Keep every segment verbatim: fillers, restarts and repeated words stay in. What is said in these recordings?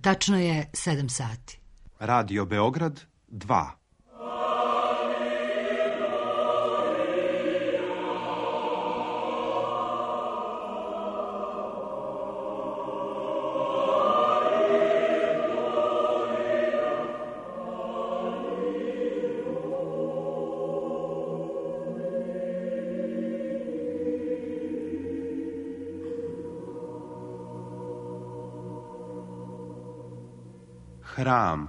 Tačno je sedam sati. Radio Beograd dva. Hram.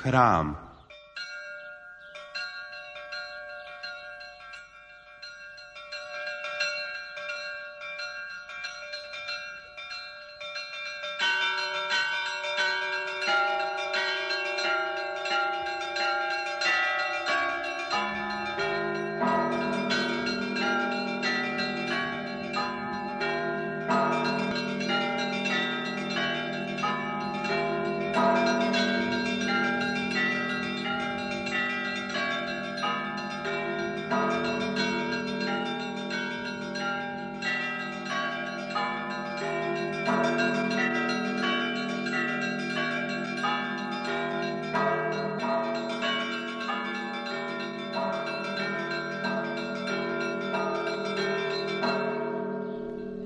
Hram.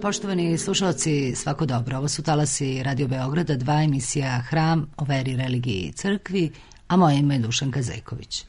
Poštovani slušalci, svako dobro. Ovo su talasi Radio Beograda, dva, emisija Hram o veri, religiji i crkvi, a moje ime je Dušanka Zejković.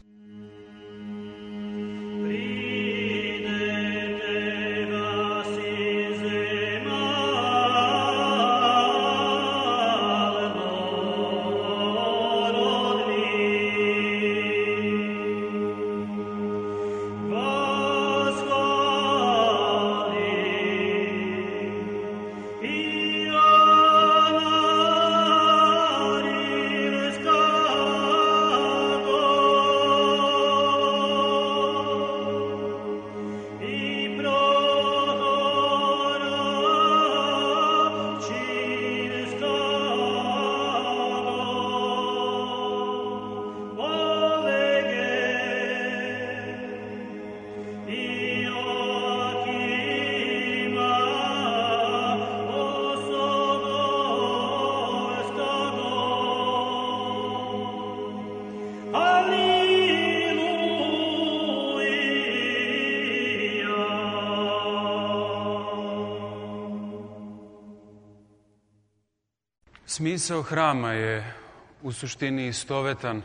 Smisao hrama je u suštini istovetan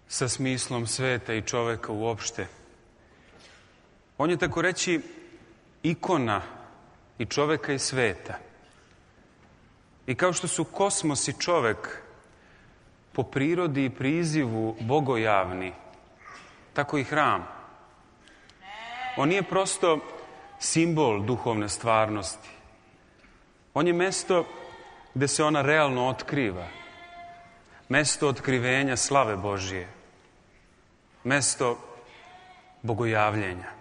sa smislom sveta i čoveka uopšte. On je, tako reći, ikona i čoveka i sveta. I kao što su kosmos i čovek po prirodi i prizivu bogojavni, tako i hram. On nije prosto simbol duhovne stvarnosti. On je mesto gde se ona realno otkriva. Mesto otkrivenja slave Božije. Mesto bogojavljenja.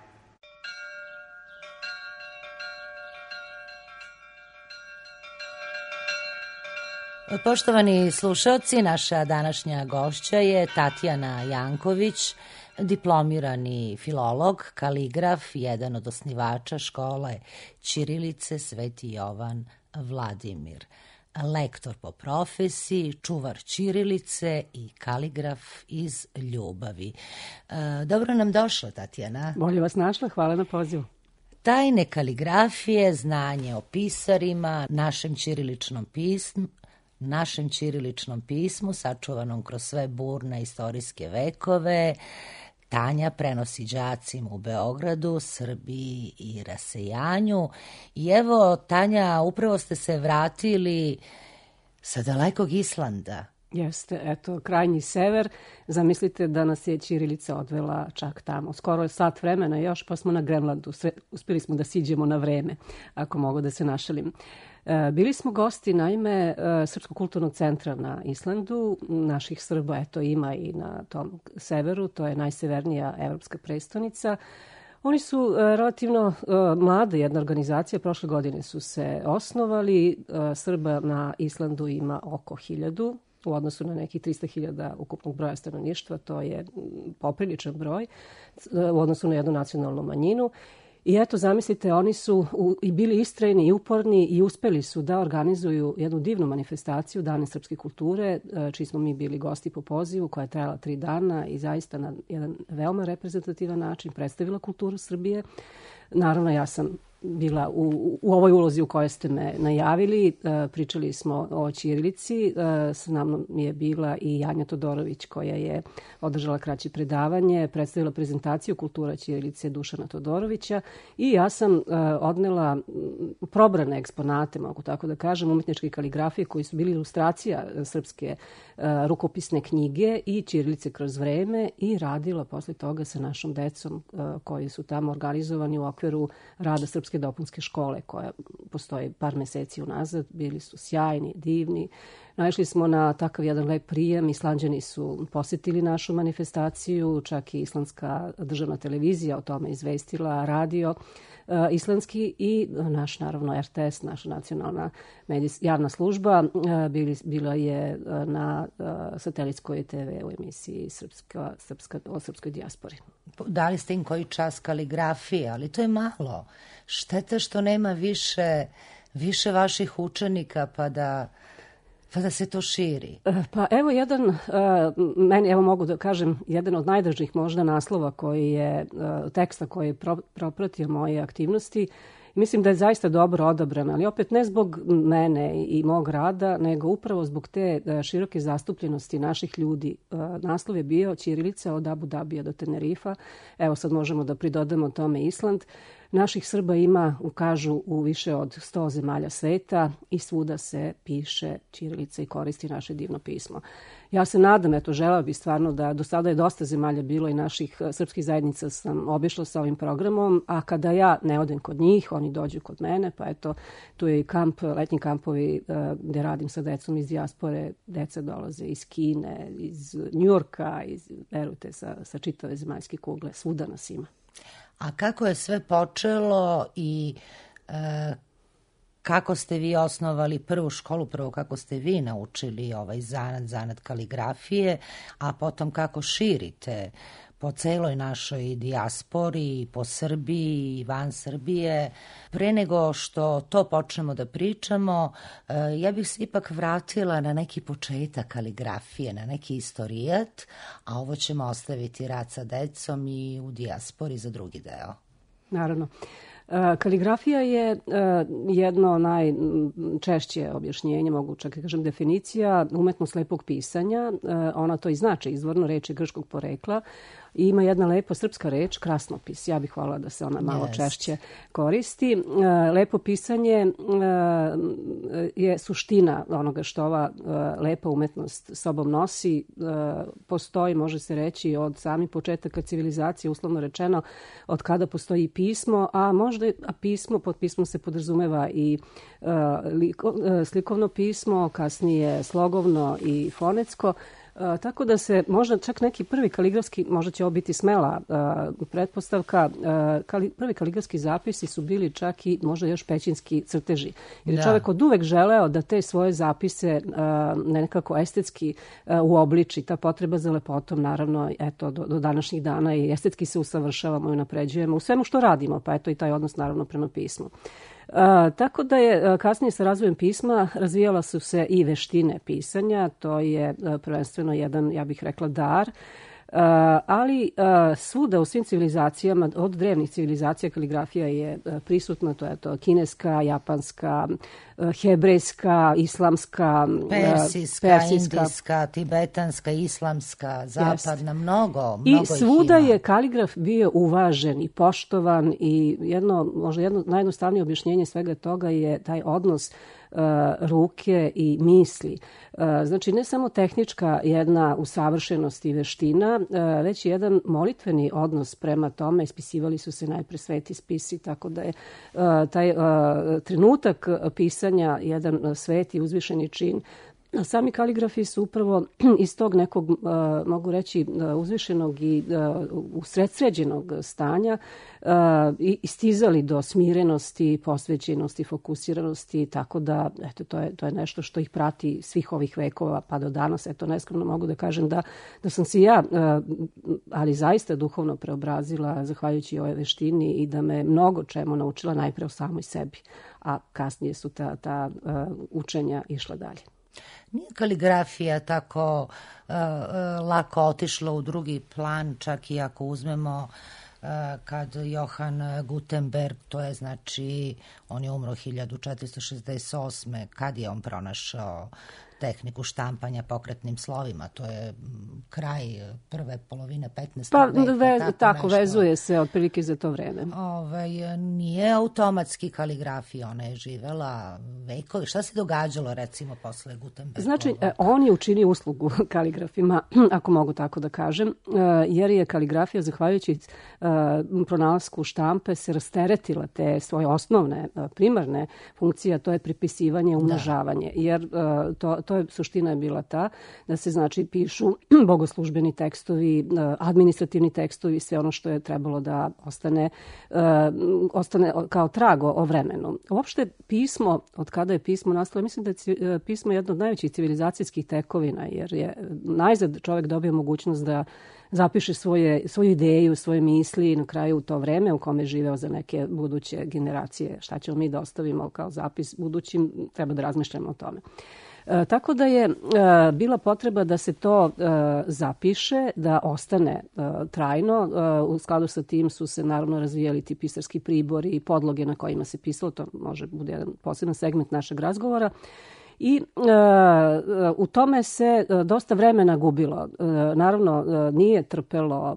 Poštovani slušalci, naša današnja gošća je Tatjana Janković, diplomirani filolog, kaligraf, jedan od osnivača škole ćirilice Sveti Jovan Vladimir. Lektor po profesiji, čuvar ćirilice i kaligraf iz ljubavi. Dobro nam došla, Tatjana. Bolje vas našla, hvala na pozivu. Tajne kaligrafije, znanje o pisarima, našem ćiriličnom pismu, našem ćiriličnom pismu, sačuvanom kroz sve burne istorijske vekove, Tanja prenosi đacima u Beogradu, Srbiji i rasejanju. I evo, Tanja, upravo ste se vratili sa dalekog Islanda. Jeste, eto, krajnji sever. Zamislite da nas je ćirilica odvela čak tamo. Skoro je sat vremena još, pa smo na Grenlandu. Sve, uspjeli smo da siđemo na vreme, ako mogu da se našalim. E, bili smo gosti, naime, e, Srpskog kulturnog centra na Islandu. Naših Srba, eto, ima i na tom severu. To je najsevernija evropska prestonica. Oni su e, relativno e, mlada jedna organizacija. Prošle godine su se osnovali. E, Srba na Islandu ima oko hiljadu. U odnosu na nekih trista hiljada ukupnog broja stanovništva, to je popriličan broj u odnosu na jednu nacionalnu manjinu. I eto, zamislite, oni su u, i bili istrajni i uporni i uspeli su da organizuju jednu divnu manifestaciju Dane srpske kulture, čiji smo mi bili gosti po pozivu, koja je trajala tri dana i zaista na jedan veoma reprezentativan način predstavila kulturu Srbije. Naravno, ja sam bila u, u ovoj ulozi u kojoj ste me najavili. E, pričali smo o ćirilici. E, s nama je bila i Janja Todorović, koja je održala kraće predavanje, predstavila prezentaciju kultura ćirilice Dušana Todorovića i ja sam e, odnela probrane eksponate, mogu tako da kažem, umetničke kaligrafije koji su bili ilustracija srpske e, rukopisne knjige i ćirilice kroz vreme i radila posle toga sa našom decom e, koji su tamo organizovani u okviru rada srpske dopunske škole koja postoji par meseci unazad. Bili su sjajni, divni. Naišli smo na takav jedan lep prijem. Islanđani su posjetili našu manifestaciju, čak i islandska državna televizija o tome izvestila, radio uh, islandski i naš, naravno, R T S, naša nacionalna medijs, javna služba, uh, bili, bila je uh, na uh, satelitskoj te ve u emisiji Srpska, Srpska, o srpskoj dijaspori. Dali ste im koji čas kaligrafije, ali to je malo. Šteta što nema više, više vaših učenika pa da, pa da se to širi. Pa evo jedan, uh, meni evo mogu da kažem, jedan od najdražih možda naslova koji je, uh, teksta koji je pro, propratio moje aktivnosti. Mislim da je zaista dobro odabran, ali opet ne zbog mene i mog rada, nego upravo zbog te široke zastupljenosti naših ljudi. Naslov je bio Ćirilica od Abu Dabija do Tenerifa. Evo sad možemo da pridodamo tome Island. Naših Srba ima, kažu, u više od sto zemalja sveta i svuda se piše ćirilica i koristi naše divno pismo. Ja se nadam, eto, želeo bi stvarno da do sada je dosta zemalja bilo i naših srpskih zajednica sam obišla sa ovim programom, a kada ja ne odem kod njih, oni dođu kod mene, pa eto, tu je i kamp, letnji kampovi gde radim sa decom iz dijaspore, deca dolaze iz Kine, iz Njujorka, iz, verujte, sa, sa čitave zemaljske kugle, svuda nas ima. A kako je sve počelo i e, kako ste vi osnovali prvu školu, prvo kako ste vi naučili ovaj zanat, zanat kaligrafije, a potom kako širite po celoj našoj dijaspori, po Srbiji i van Srbije. Pre nego što to počnemo da pričamo, ja bih se ipak vratila na neki početak kaligrafije, na neki istorijat, a ovo ćemo ostaviti rad sa decom i u dijaspori za drugi deo. Naravno. Kaligrafija je jedno najčešće objašnjenje, mogu čak i kažem definicija, umetnost lepog pisanja. Ona to i znači, izvorno reč je grčkog porekla. I ima jedna lepa srpska reč, krasnopis. Ja bih voljela da se ona malo yes. češće koristi. Lepo pisanje je suština onoga što ova lepa umetnost sobom nosi. Postoji, može se reći, od samih početaka civilizacije, uslovno rečeno, od kada postoji pismo, a možda a pismo, pod pismom se podrazumeva i slikovno pismo, kasnije slogovno i fonetsko. Uh, tako da se možda čak neki prvi kaligrafski, možda će ovo biti smela uh, pretpostavka, uh, kali, prvi kaligrafski zapisi su bili čak i možda još pećinski crteži. Jer je čovjek od uvek želeo da te svoje zapise uh, nekako estetski uh, uobliči. Ta potreba za lepotom, naravno, eto, do, do današnjih dana i estetski se usavršavamo i unapređujemo u svemu što radimo, pa eto i taj odnos naravno prema pismu. Uh, tako da je uh, kasnije sa razvojem pisma razvijala su se i veštine pisanja, to je uh, prvenstveno jedan, ja bih rekla, dar, uh, ali uh, svuda u svim civilizacijama, od drevnih civilizacija kaligrafija je uh, prisutna, to je to kineska, japanska, uh, hebrejska, islamska, persijska, uh, persijska, indijska, tibetanska, islamska, zapadna, jest. mnogo, mnogo I svuda je kaligraf bio uvažen i poštovan i jedno, možda jedno najjednostavnije objašnjenje svega toga je taj odnos ruke i misli. Znači, ne samo tehnička jedna usavršenost i veština, već jedan molitveni odnos prema tome. Ispisivali su se najpre sveti spisi, tako da je taj trenutak pisanja jedan sveti uzvišeni čin. A sami kaligrafi su upravo iz tog nekog, uh, mogu reći, uh, uzvišenog i uh, usredsređenog stanja uh, i istizali do smirenosti, posvećenosti, fokusiranosti, tako da eto, to, je, to je nešto što ih prati svih ovih vekova pa do danas. Eto, neskromno mogu da kažem da, da sam se ja, uh, ali zaista duhovno preobrazila zahvaljujući ovoj veštini i da me mnogo čemu naučila najpre o samoj sebi, a kasnije su ta, ta uh, učenja išla dalje. Nije kaligrafija tako uh, uh, lako otišla u drugi plan, čak i ako uzmemo uh, kad Johan Gutenberg, to je znači, on je umro hiljadu četiristo šezdeset osme kad je on pronašao tehniku štampanja pokretnim slovima, to je kraj prve polovine petnaestog pa, veka. Ve, tako tako nešto. Vezuje se otprilike za to vreme. Ove, nije automatski kaligrafija, ona je živela vekovi. Šta se događalo recimo posle Gutenberga? Znači, on je učinio uslugu kaligrafima, ako mogu tako da kažem, jer je kaligrafija, zahvaljujući pronalasku štampe, se rasteretila te svoje osnovne, primarne funkcije, a to je pripisivanje, umnožavanje. Da. Jer to, to je, suština je bila ta da se, znači, pišu bogoslužbeni tekstovi, administrativni tekstovi, sve ono što je trebalo da ostane, ostane kao trago o vremenu. Uopšte pismo, od kada je pismo nastalo, mislim da je pismo jedno od najvećih civilizacijskih tekovina, jer je najzad čovjek dobio mogućnost da zapiše svoje, svoju ideju, svoje misli i na kraju u to vreme u kome je živeo za neke buduće generacije. Šta ćemo mi da ostavimo kao zapis budućim, treba da razmišljamo o tome. E, tako da je e, bila potreba da se to e, zapiše, da ostane e, trajno. E, u skladu sa tim su se naravno razvijali ti pisarski pribori i podloge na kojima se pisalo. To može bude jedan poseban segment našeg razgovora. I e, u tome se dosta vremena gubilo. E, naravno, e, nije trpelo,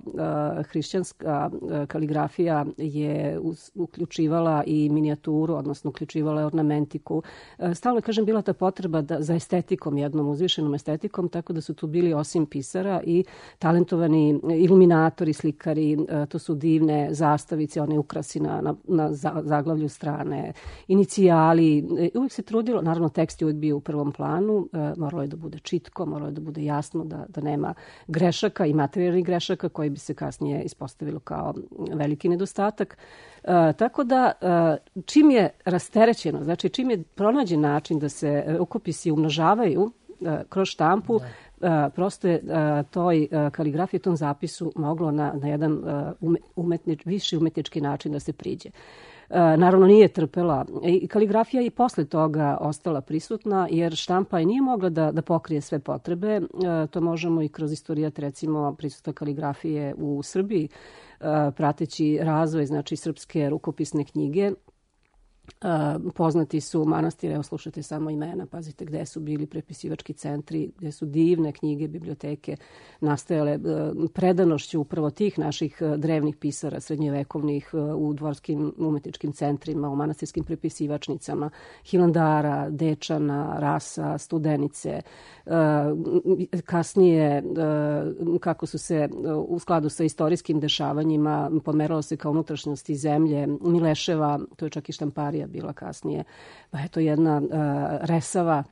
e, hrišćanska kaligrafija je us, uključivala i minijaturu, odnosno uključivala je ornamentiku. E, stalno, kažem, bila ta potreba da, za estetikom, jednom uzvišenom estetikom, tako da su tu bili osim pisara i talentovani iluminatori, slikari, e, to su divne zastavice, one ukrasi na, na, na zaglavlju strane, inicijali. E, uvijek se trudilo, naravno tekst je uvijek bio u prvom planu, e, moralo je da bude čitko, moralo je da bude jasno, da, da nema grešaka i materijalnih grešaka koji bi se kasnije ispostavilo kao veliki nedostatak. E, tako da e, čim je rasterećeno, znači čim je pronađen način da se rukopisi umnožavaju e, kroz štampu, da. prosto je toj kaligrafiji, tom zapisu moglo na, na jedan umetnič, viši umetnički način da se priđe. Naravno, nije trpela. I kaligrafija i posle toga ostala prisutna, jer štampa nije mogla da, da pokrije sve potrebe. To možemo i kroz istorijat, recimo, prisutna kaligrafije u Srbiji, prateći razvoj, znači, srpske rukopisne knjige. Uh, poznati su manastire, evo slušajte samo imena, pazite gde su bili prepisivački centri, gde su divne knjige, biblioteke nastajale uh, predanošću upravo tih naših uh, drevnih pisara srednjevekovnih uh, u dvorskim umetničkim centrima, u manastirskim prepisivačnicama, Hilandara, Dečana, Rasa, Studenice. Uh, kasnije, uh, kako su se uh, u skladu sa istorijskim dešavanjima pomeralo se kao unutrašnjosti zemlje, Mileševa, to je čak i štamparija bila kasnije. Pa eto jedna uh, Resava,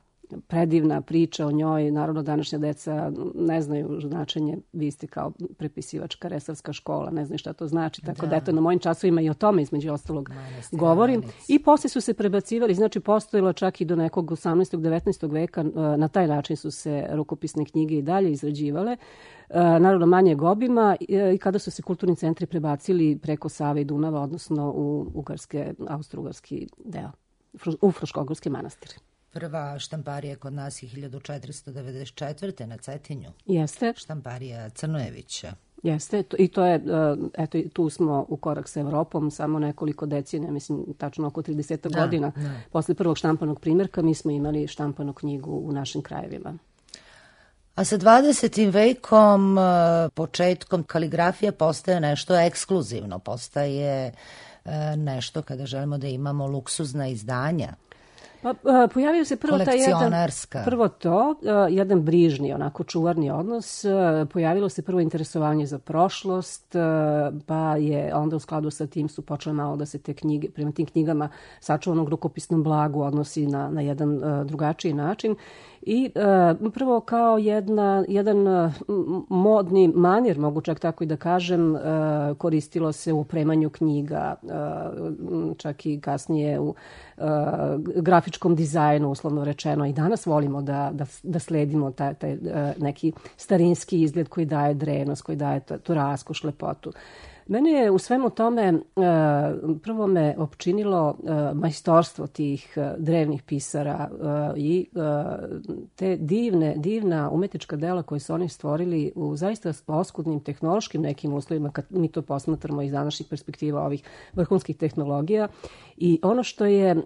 predivna priča o njoj. Naravno, današnja deca ne znaju značenje. Vi ste kao prepisivačka resavska škola, ne znaju šta to znači. Tako da, da eto, na mojim časovima i o tome, između ostalog, Manastir, govorim. Manic. I posle su se prebacivali, znači postojilo čak i do nekog osamnaestog devetnaestog veka, uh, na taj način su se rukopisne knjige i dalje izrađivale. Uh, naravno, manjeg obima uh, i kada su se kulturni centri prebacili preko Save i Dunava, odnosno u ugarske, austro-ugarski deo, u Fruškogorski manastir. Prva štamparija kod nas je hiljadu četiristo devedeset četvrte na Cetinju. Jeste. Štamparija Crnojevića. Jeste, i to je, eto, tu smo u korak sa Evropom, samo nekoliko decenija, mislim, tačno oko trideset da, godina. Da. Posle prvog štampanog primjerka mi smo imali štampanu knjigu u našim krajevima. A sa dvadesetim vekom, početkom, kaligrafija postaje nešto ekskluzivno, postaje nešto kada želimo da imamo luksuzna izdanja. Pa, pojavio se prvo taj jedan, prvo to, jedan brižni, onako čuvarni odnos. Pojavilo se prvo interesovanje za prošlost, pa je onda u skladu sa tim su počele malo da se te knjige, prema tim knjigama sačuvanog rukopisnom blagu odnosi na, na jedan drugačiji način. I uh, prvo kao jedna, jedan uh, modni manir, mogu čak tako i da kažem, uh, koristilo se u opremanju knjiga, uh, čak i kasnije u uh, grafičkom dizajnu, uslovno rečeno. I danas volimo da, da, da sledimo taj, taj uh, neki starinski izgled koji daje drenost, koji daje tu raskoš, lepotu. Mene je u svemu tome prvo me opčinilo majstorstvo tih drevnih pisara i te divne, divna umetnička dela koje su oni stvorili u zaista oskudnim tehnološkim nekim uslovima, kad mi to posmatramo iz današnjih perspektiva ovih vrhunskih tehnologija. I ono što je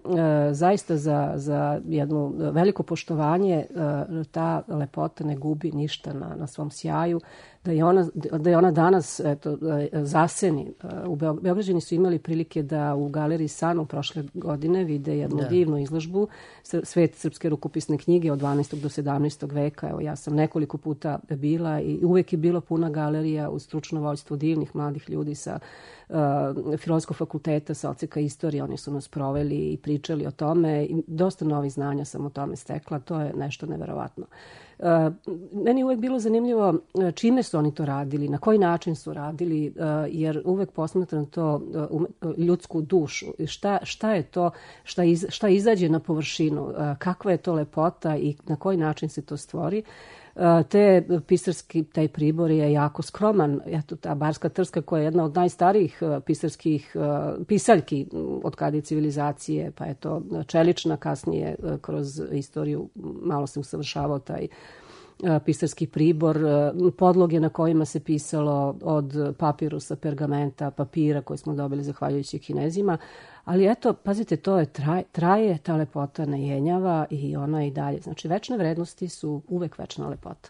zaista za, za jedno veliko poštovanje, ta lepota ne gubi ništa na, na svom sjaju, da je ona, da je ona danas eto, zaseni. U Beograđani su imali prilike da u galeriji Sanu prošle godine vide jednu da. divnu izložbu Svet srpske rukopisne knjige od dvanaestog do sedamnaestog veka. Evo, ja sam nekoliko puta bila i uvek je bilo puna galerija uz stručno vođstvo divnih mladih ljudi sa uh, Filozofskog fakulteta, sa odseka istorije. Oni su nas proveli i pričali o tome i dosta novih znanja sam o tome stekla. To je nešto neverovatno. Uh, meni je uvek bilo zanimljivo čime su oni to radili, na koji način su radili, uh, jer uvek posmatram to uh, ljudsku dušu. Šta, šta je to, šta, iz, šta izađe na površinu, uh, kakva je to lepota i na koji način se to stvori. Uh, te pisarski, taj pribor je jako skroman. Eto, ta barska trska koja je jedna od najstarijih uh, pisarskih uh, pisaljki od kada je civilizacije, pa je to čelična, kasnije uh, kroz istoriju malo se usavršavao taj pisarski pribor, podloge na kojima se pisalo od papirusa, pergamenta, papira koje smo dobili zahvaljujući Kinezima. Ali eto, pazite, to je traje, traje ta lepota ne jenjava i ona i dalje. Znači, večne vrednosti su uvek večna lepota.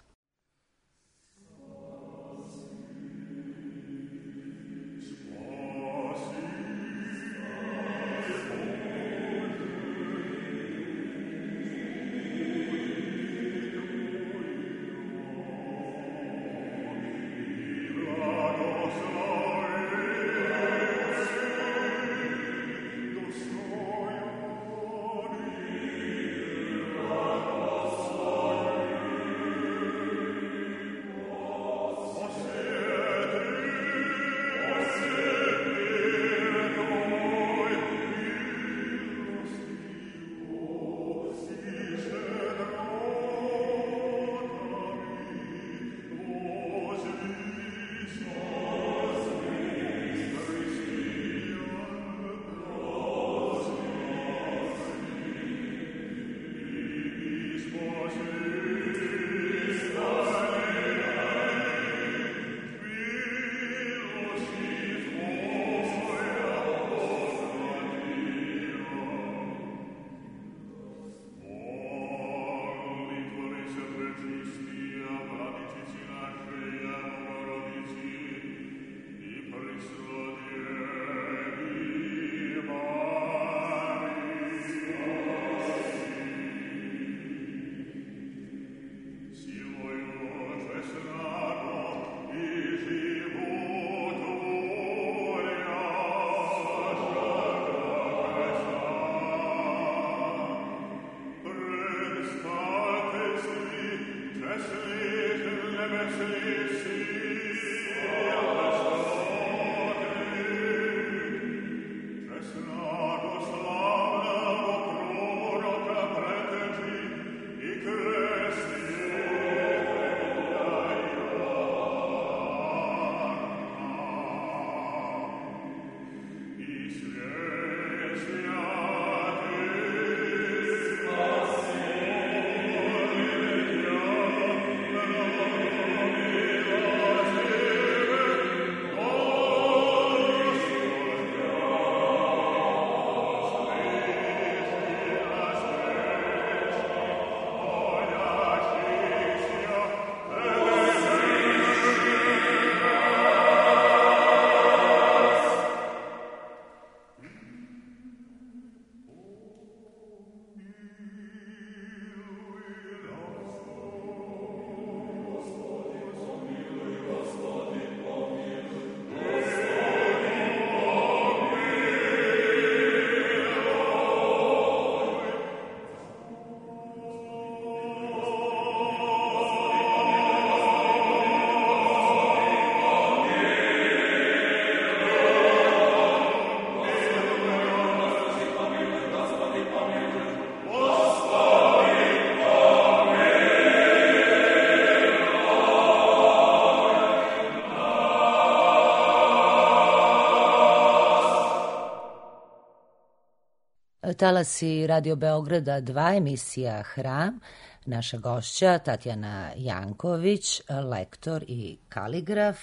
Talasi Radio Beograda dva, emisija Hram. Naša gošća Tatjana Janković, lektor i kaligraf.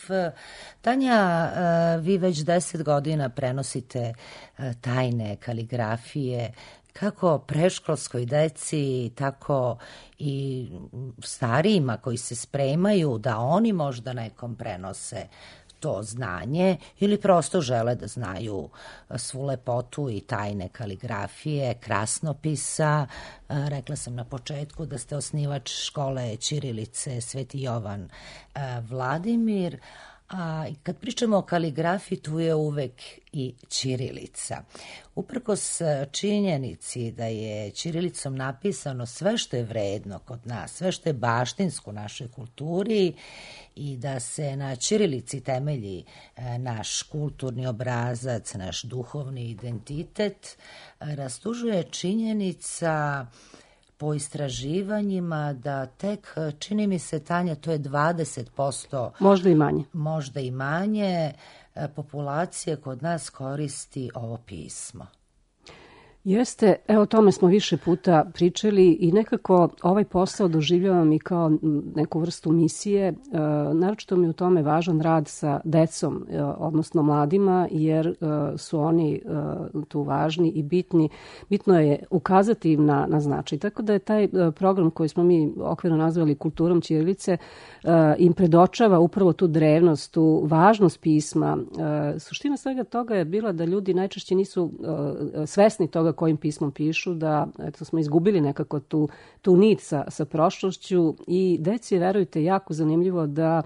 Tanja, vi već deset godina prenosite tajne kaligrafije kako preškolskoj deci, tako i starijima koji se spremaju da oni možda nekom prenose to znanje ili prosto žele da znaju svu lepotu i tajne kaligrafije, krasnopisa. Rekla sam na početku da ste osnivač škole ćirilice Sveti Jovan Vladimir. A kad pričamo o kaligrafiji, tu je uvek i ćirilica. Uprkos činjenici da je ćirilicom napisano sve što je vredno kod nas, sve što je baštinsko u našoj kulturi i da se na ćirilici temelji naš kulturni obrazac, naš duhovni identitet, rastužuje činjenica po istraživanjima da tek, čini mi se, Tanja, to je dvadeset posto, možda i manje, možda i manje populacije kod nas koristi ovo pismo. Jeste, evo o tome smo više puta pričali i nekako ovaj posao doživljavam i kao neku vrstu misije. E, naročito mi u tome važan rad sa decom, e, odnosno mladima, jer e, su oni e, tu važni i bitni. Bitno je ukazati im na, na značaj. Tako da je taj e, program koji smo mi okvirno nazvali Kulturom ćirilice e, im predočava upravo tu drevnost, tu važnost pisma. E, suština svega toga je bila da ljudi najčešće nisu e, svesni toga kojim pismom pišu, da eto, smo izgubili nekako tu, tu nit sa, sa prošlošću i deci, verujte, jako zanimljivo da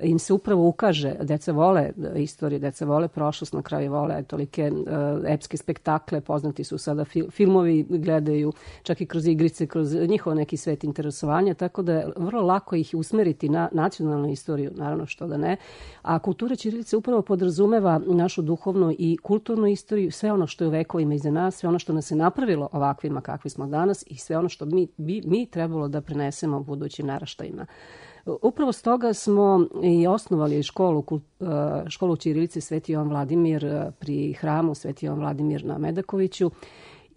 im se upravo ukaže. Deca vole istoriju, deca vole prošlost, na kraju vole tolike uh, epske spektakle, poznati su sada fil, filmovi, gledaju čak i kroz igrice, kroz njihov neki svet interesovanja, tako da je vrlo lako ih usmeriti na nacionalnu istoriju, naravno što da ne. A kultura ćirilice upravo podrazumeva našu duhovnu i kulturnu istoriju, sve ono što je u vekovima iza nas, sve ono što nas je napravilo ovakvima kakvi smo danas i sve ono što mi, bi, mi trebalo da prenesemo budućim naraštajima. Upravo stoga smo i osnovali školu, školu ćirilice Sveti Jovan Vladimir pri hramu Sveti Jovan Vladimir na Medakoviću.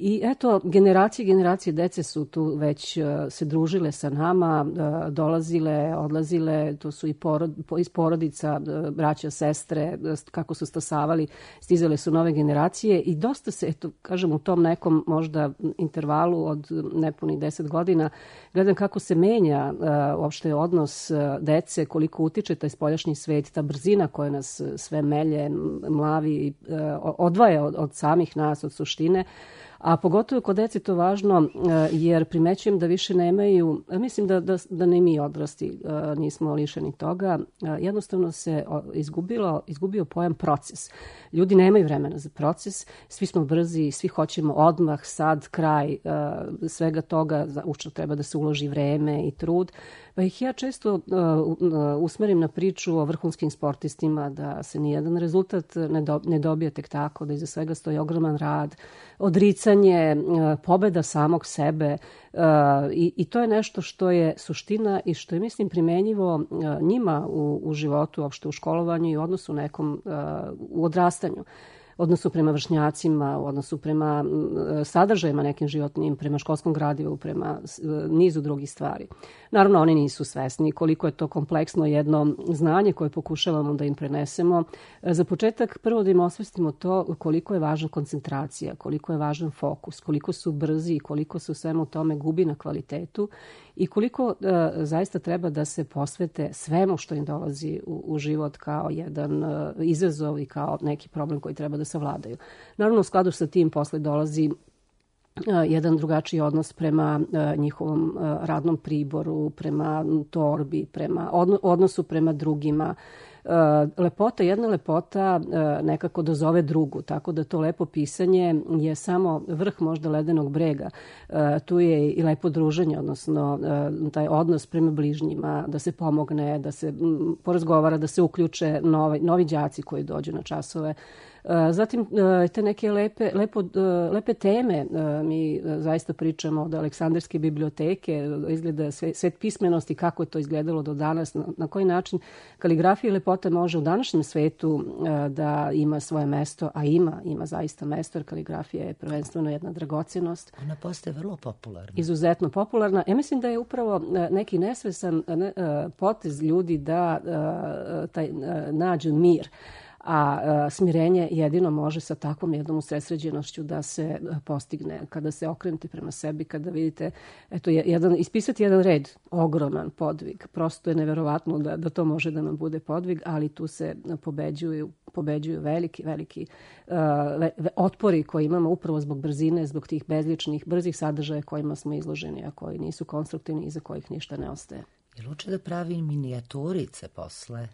I eto, generacije i generacije dece su tu već se družile sa nama, dolazile, odlazile, to su i porod, iz porodica, braća, sestre, kako su stasavali, stizale su nove generacije i dosta se, eto, kažem, u tom nekom možda intervalu od nepunih deset godina, gledam kako se menja uopšte odnos dece, koliko utiče taj spoljašnji svet, ta brzina koja nas sve melje, mlavi, odvaja od, od samih nas, od suštine. A pogotovo kod dece to važno jer primećujem da više nemaju, mislim da, da, da ne mi odrasti nismo lišeni toga, jednostavno se izgubilo, izgubio pojam proces. Ljudi nemaju vremena za proces, svi smo brzi, svi hoćemo odmah, sad, kraj svega toga, u što treba da se uloži vreme i trud. Pa ih ja često uh, usmerim na priču o vrhunskim sportistima, da se nijedan rezultat ne, do, ne dobije tek tako, da iza svega stoji ogroman rad, odricanje, uh, pobeda samog sebe uh, i, i to je nešto što je suština i što je, mislim, primenjivo uh, njima u, u životu, uopšte u školovanju i u odnosu nekom uh, u odrastanju. Odnosu prema vršnjacima, u odnosu prema sadržajima nekim životnim, prema školskom gradivu, prema nizu drugih stvari. Naravno, oni nisu svesni koliko je to kompleksno jedno znanje koje pokušavamo da im prenesemo. Za početak, prvo da im osvestimo to koliko je važna koncentracija, koliko je važan fokus, koliko su brzi i koliko se u svemu tome gubi na kvalitetu i koliko uh, zaista treba da se posvete svemu što im dolazi u, u život kao jedan uh, izazov i kao neki problem koji treba da savladaju. Naravno, u skladu sa tim posle dolazi uh, jedan drugačiji odnos prema uh, njihovom uh, radnom priboru, prema torbi, prema odno, odnosu prema drugima. Uh, lepota, jedna lepota uh, nekako dozove drugu, tako da to lepo pisanje je samo vrh možda ledenog brega. Uh, tu je i lepo druženje, odnosno uh, taj odnos prema bližnjima, da se pomogne, da se m, porazgovara, da se uključe novi, novi đaci koji dođu na časove. Zatim, te neke lepe, lepo, lepe teme, mi zaista pričamo od Aleksandrijske biblioteke, izgleda svet pismenosti, kako je to izgledalo do danas, na koji način kaligrafija i lepota lepota može u današnjem svetu da ima svoje mesto, a ima, ima zaista mesto, jer kaligrafija je prvenstveno jedna dragocjenost. Ona postaje vrlo popularna. Izuzetno popularna. Ja mislim da je upravo neki nesvesan potez ljudi da taj, nađu mir. A smirenje jedino može sa takvom jednom usredsređenošću da se postigne. Kada se okrenete prema sebi, kada vidite, eto, jedan, ispisati jedan red, ogroman podvig. Prosto je neverovatno da, da to može da nam bude podvig, ali tu se pobeđuju, pobeđuju veliki, veliki uh, otpori koje imamo upravo zbog brzine, zbog tih bezličnih, brzih sadržaja kojima smo izloženi, a koji nisu konstruktivni i za kojih ništa ne ostaje. Je li uče da pravi minijaturice posle?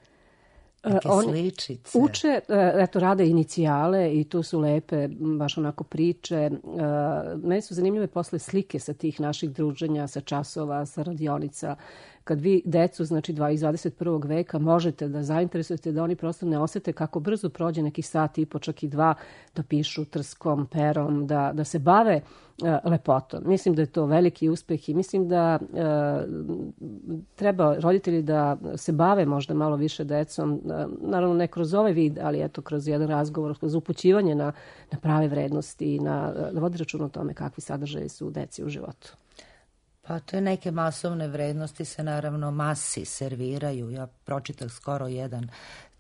Neke sličice. Uče, eto, rade inicijale i tu su lepe, baš onako priče. Meni su zanimljive posle slike sa tih naših druženja, sa časova, sa radionica. Kad vi decu, znači iz dvadeset prvog veka, možete da zainteresujete da oni prosto ne osete kako brzo prođe neki sat i po, čak i dva, da pišu trskom, perom, da, da se bave uh, lepotom. Mislim da je to veliki uspeh i mislim da uh, treba roditelji da se bave možda malo više decom, uh, naravno ne kroz ovaj vid, ali eto kroz jedan razgovor, kroz upućivanje na, na prave vrednosti i na, da vodi račun o tome kakvi sadržaji su deci u životu. Pa to je neke masovne vrednosti se naravno masi serviraju. Ja pročitah skoro jedan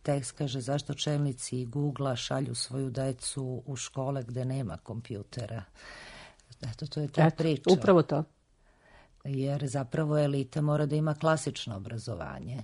tekst, kaže zašto čelnici Google-a šalju svoju decu u škole gde nema kompjutera. Eto, to je ta Eto, priča. Upravo to. Jer zapravo elita mora da ima klasično obrazovanje.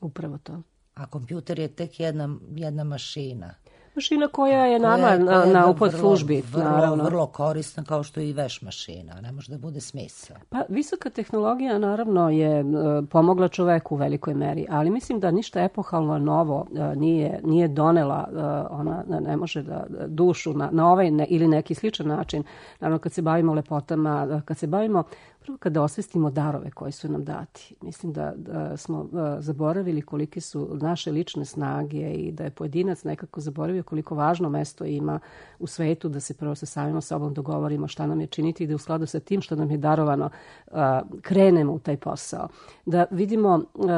Upravo to. A kompjuter je tek jedna, jedna mašina. Mašina koja je nama koja je, koja je na upod službi. Vrlo, naravno. vrlo korisna kao što je i veš mašina. Ne može da bude smisao. Pa visoka tehnologija naravno je uh, pomogla čoveku u velikoj meri, ali mislim da ništa epohalno novo uh, nije, nije donela. Uh, ona ne može da dušu na, na ovaj ne, ili neki sličan način. Naravno kad se bavimo lepotama, uh, kad se bavimo prvo kada osvestimo darove koji su nam dati. Mislim da, da smo uh, zaboravili kolike su naše lične snage i da je pojedinac nekako zaboravio koliko važno mesto ima u svetu da se prvo sa samima sobom dogovorimo šta nam je činiti i da u skladu sa tim što nam je darovano uh, krenemo u taj posao. Da vidimo uh,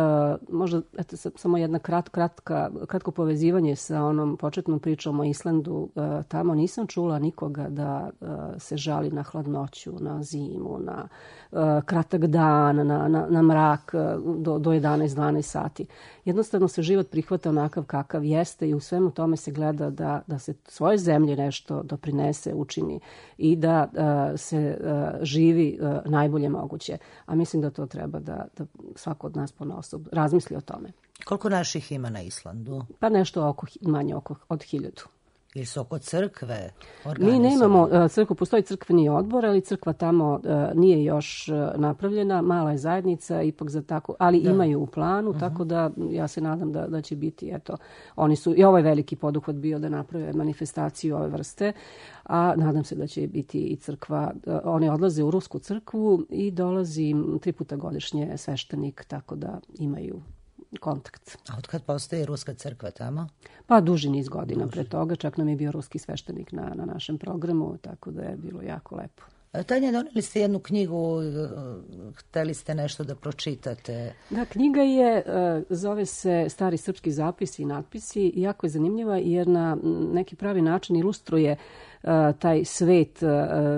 možda eto, samo jedna krat, kratka, kratko povezivanje sa onom početnom pričom o Islandu. Uh, tamo nisam čula nikoga da uh, se žali na hladnoću, na zimu, na uh, kratak dan, na, na, na mrak uh, do, do jedanaest dvanaest sati. Jednostavno se život prihvata onakav kakav jeste i u svemu tome se gleda da, da se svoje zemlje nešto doprinese, učini i da uh, se uh, živi uh, najbolje moguće. A mislim da to treba da, da svako od nas ponaosob razmisli o tome. Koliko naših ima na Islandu? Pa nešto oko, manje oko, od hiljadu. Ili su oko crkve? Mi ne imamo crkvu, postoji crkveni odbor, ali crkva tamo uh, nije još uh, napravljena, mala je zajednica, ipak za tako, ali da. Imaju u planu, uh-huh. tako da ja se nadam da, da će biti, eto, oni su, i ovaj veliki poduhvat bio da naprave manifestaciju ove vrste, a nadam se da će biti i crkva, uh, oni odlaze u rusku crkvu i dolazi tri puta godišnje sveštenik, tako da imaju kontakt. A od kad postoji ruska crkva tamo? Pa duži niz godina duži. Pre toga, čak nam je bio ruski sveštenik na, na našem programu, tako da je bilo jako lepo. Tanja, doneli ste jednu knjigu, hteli ste nešto da pročitate. Da, knjiga je, zove se Stari srpski zapisi i natpisi, jako je zanimljiva jer na neki pravi način ilustruje taj svet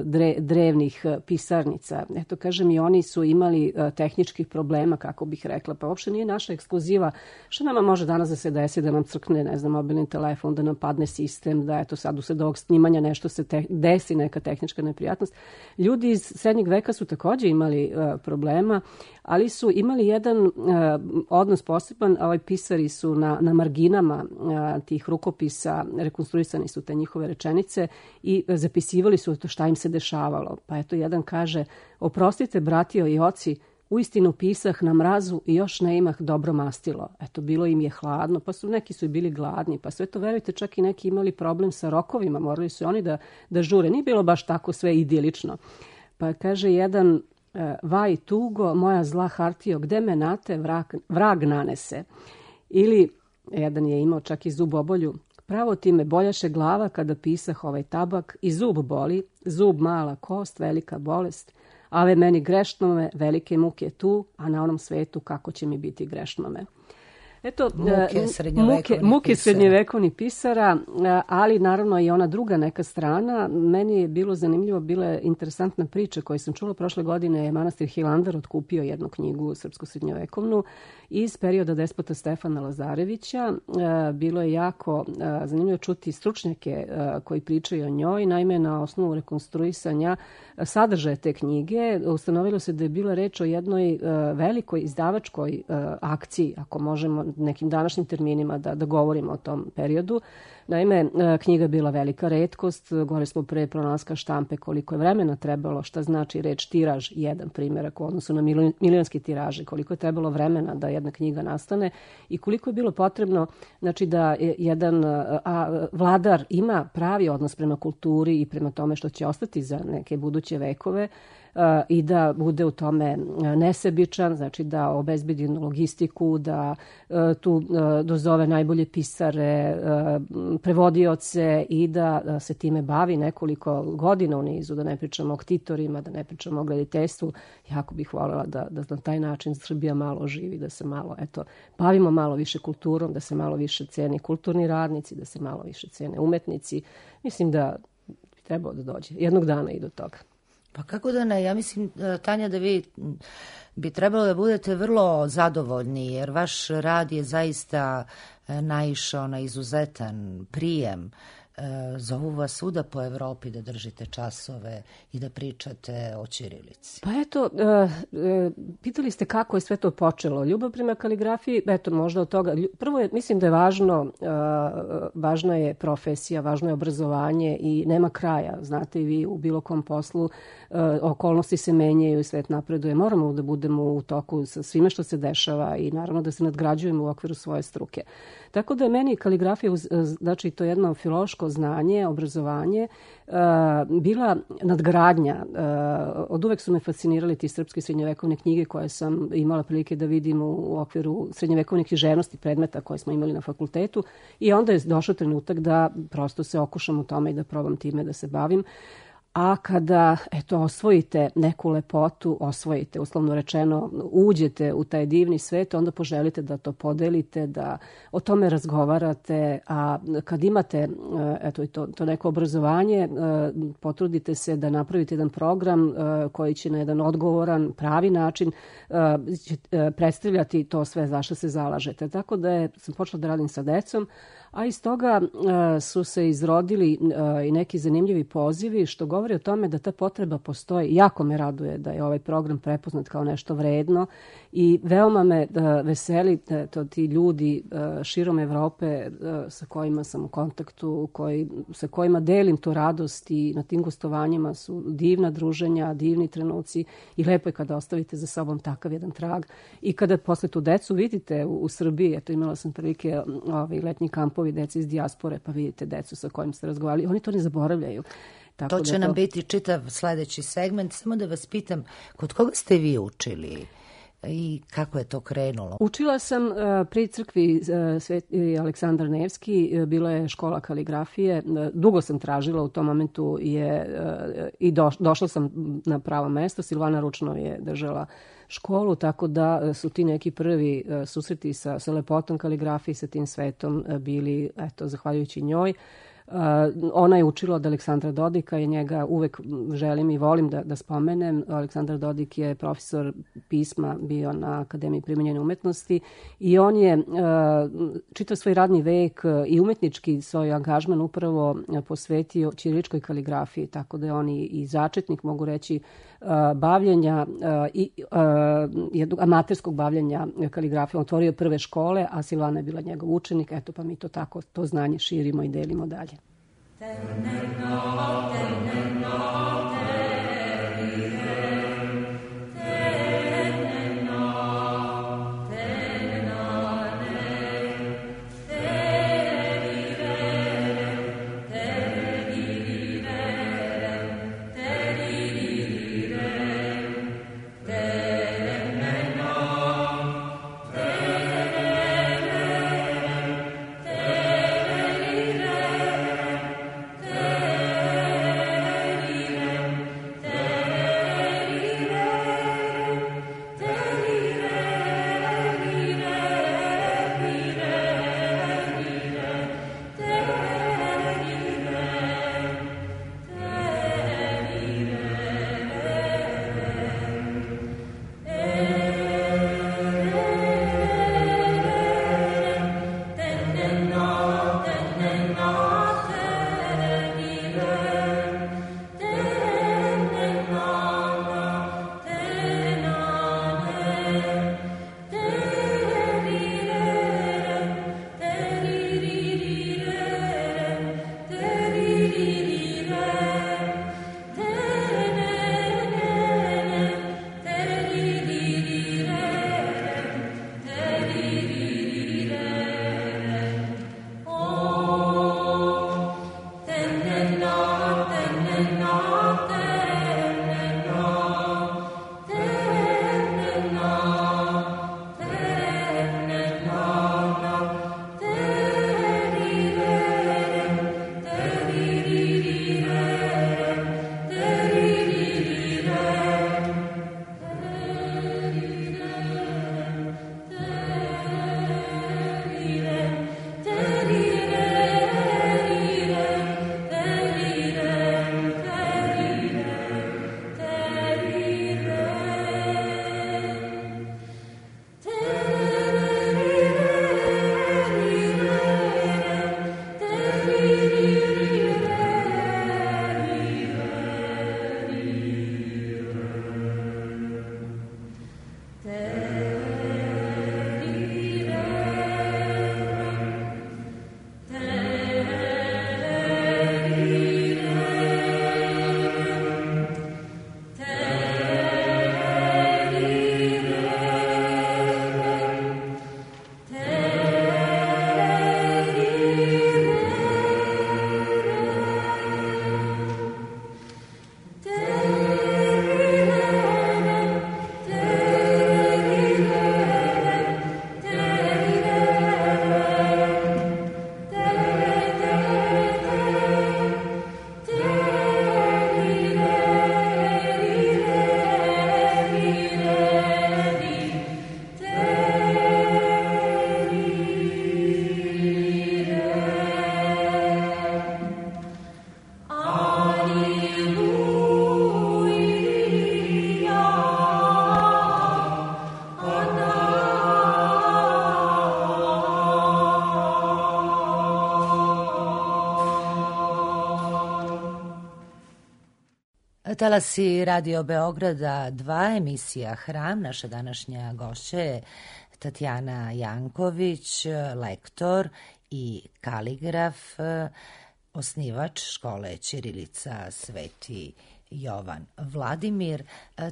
dre, drevnih pisarnica. Eto, kažem, i oni su imali tehničkih problema, kako bih rekla, pa uopšte nije naša ekskluziva. Što nama može danas da se desi, da nam crkne, ne znam, mobilni telefon, da nam padne sistem, da eto sad usred ovog snimanja nešto se te, desi, neka tehnička neprijatnost. Ljudi iz srednjeg veka su takođe imali uh, problema, ali su imali jedan uh, odnos poseban. Ovaj pisari su na, na marginama uh, tih rukopisa, rekonstruisani su te njihove rečenice i zapisivali su to šta im se dešavalo. Pa eto, jedan kaže, oprostite, bratio i oci, uistinu pisah na mrazu i još ne imah dobro mastilo. Eto, bilo im je hladno, pa su neki su i bili gladni, pa sve to, verujte, čak i neki imali problem sa rokovima, morali su oni da, da žure. Nije bilo baš tako sve idilično. Pa kaže jedan, vaj tugo, moja zla hartijo, gde me nate vrag, vrag nanese. Ili, jedan je imao čak i zub obolju, pravo ti me boljaše glava kada pisah ovaj tabak i zub boli, zub mala kost, velika bolest, ale meni grešnome velike muke tu, a na onom svetu kako će mi biti grešnome. Eto, muke srednjovekovnih muke srednjovekovnih pisara, ali naravno i ona druga neka strana. Meni je bilo zanimljivo, bila je interesantna priča koju sam čula prošle godine. Je manastir Hilandar otkupio jednu knjigu srpsku srednjovekovnu iz perioda despota Stefana Lazarevića. Bilo je jako zanimljivo čuti stručnjake koji pričaju o njoj. Naime, na osnovu rekonstruisanja sadržaja te knjige ustanovilo se da je bila reč o jednoj velikoj izdavačkoj akciji, ako možemo nekim današnjim terminima da, da govorimo o tom periodu. Naime, knjiga je bila velika retkost, govorili smo pre pronalaska štampe koliko je vremena trebalo, šta znači reč tiraž, jedan primjerak u odnosu na milionski tiraže, koliko je trebalo vremena da jedna knjiga nastane i koliko je bilo potrebno, znači da jedan a, vladar ima pravi odnos prema kulturi i prema tome što će ostati za neke buduće vekove, i da bude u tome nesebičan, znači da obezbedi logistiku, da tu dozove najbolje pisare, prevodioce i da se time bavi nekoliko godina u nizu, da ne pričamo o ktitorima, da ne pričamo o glediteljstvu. Jako bih voljela da, da na taj način Srbija malo živi, da se malo, eto, bavimo malo više kulturom, da se malo više ceni kulturni radnici, da se malo više cene umetnici. Mislim da bi trebalo da dođe jednog dana i do toga. Pa kako da ne, ja mislim, Tanja, da vi bi trebalo da budete vrlo zadovoljni, jer vaš rad je zaista naišao na izuzetan prijem. Zovu vas svuda po Evropi da držite časove i da pričate o ćirilici. Pa eto, pitali ste kako je sve to počelo. Ljubav prema kaligrafiji, eto, možda od toga. Prvo je, mislim da je važno, važna je profesija, važno je obrazovanje i nema kraja. Znate i vi u bilo kom poslu okolnosti se menjaju i svet napreduje. Moramo da budemo u toku sa svime što se dešava i naravno da se nadgrađujemo u okviru svoje struke. Tako da je meni kaligrafija, znači to jedno filološko znanje, obrazovanje, bila nadgradnja. Od uvek su me fascinirali ti srpske srednjovekovne knjige koje sam imala prilike da vidim u okviru srednjovekovne književnosti predmeta koje smo imali na fakultetu i onda je došao trenutak da prosto se okušam u tome i da probam time da se bavim. A kada, eto, osvojite neku lepotu, osvojite, uslovno rečeno, uđete u taj divni svet, onda poželite da to podelite, da o tome razgovarate, a kad imate, eto, to, to neko obrazovanje, potrudite se da napravite jedan program koji će na jedan odgovoran, pravi način predstavljati to sve za što se zalažete. Tako da je, sam počela da radim sa decom, a iz toga uh, su se izrodili uh, i neki zanimljivi pozivi što govori o tome da ta potreba postoji. Jako me raduje da je ovaj program prepoznat kao nešto vredno i veoma me uh, veseli to ti ljudi uh, širom Evrope uh, sa kojima sam u kontaktu, koji, sa kojima delim tu radost i na tim gostovanjima su divna druženja, divni trenuci i lepo je kada ostavite za sobom takav jedan trag. I kada posle tu decu vidite u, u Srbiji, eto imala sam prilike ovaj, letnji kamp dece iz dijaspore, pa vidite decu sa kojim ste razgovarali. Oni to ne zaboravljaju. Tako to će da to... nam biti čitav sledeći segment. Samo da vas pitam, kod koga ste vi učili i kako je to krenulo? Učila sam uh, pri crkvi uh, Sveti Aleksandar Nevski. Uh, bila je škola kaligrafije. Uh, dugo sam tražila, u tom momentu je uh, i do, došla sam na pravo mesto. Silvana Ručnov je držala školu, tako da su ti neki prvi uh, susreti sa, sa lepotom kaligrafije, sa tim svetom uh, bili, eto, zahvaljujući njoj. Uh, ona je učila od Aleksandra Dodika i njega uvek želim i volim da, da spomenem. Aleksandar Dodik je profesor pisma bio na Akademiji primenjene umetnosti i on je uh, čitav svoj radni vek uh, i umetnički svoj angažman upravo uh, posvetio ćiriličkoj kaligrafiji, tako da je on i, i začetnik, mogu reći, uh, bavljenja uh, i uh, jednog amaterskog bavljenja kaligrafijom. Otvorio prve škole, a Silvana je bila njegov učenik. Eto, pa mi to tako, to znanje širimo i delimo dalje. Teneno, teneno, Talasi Radio Beograda dva, emisija Hram. Naša današnja gošća je Tatjana Janković, lektor i kaligraf, osnivač škole ćirilica Sveti Jovan Vladimir.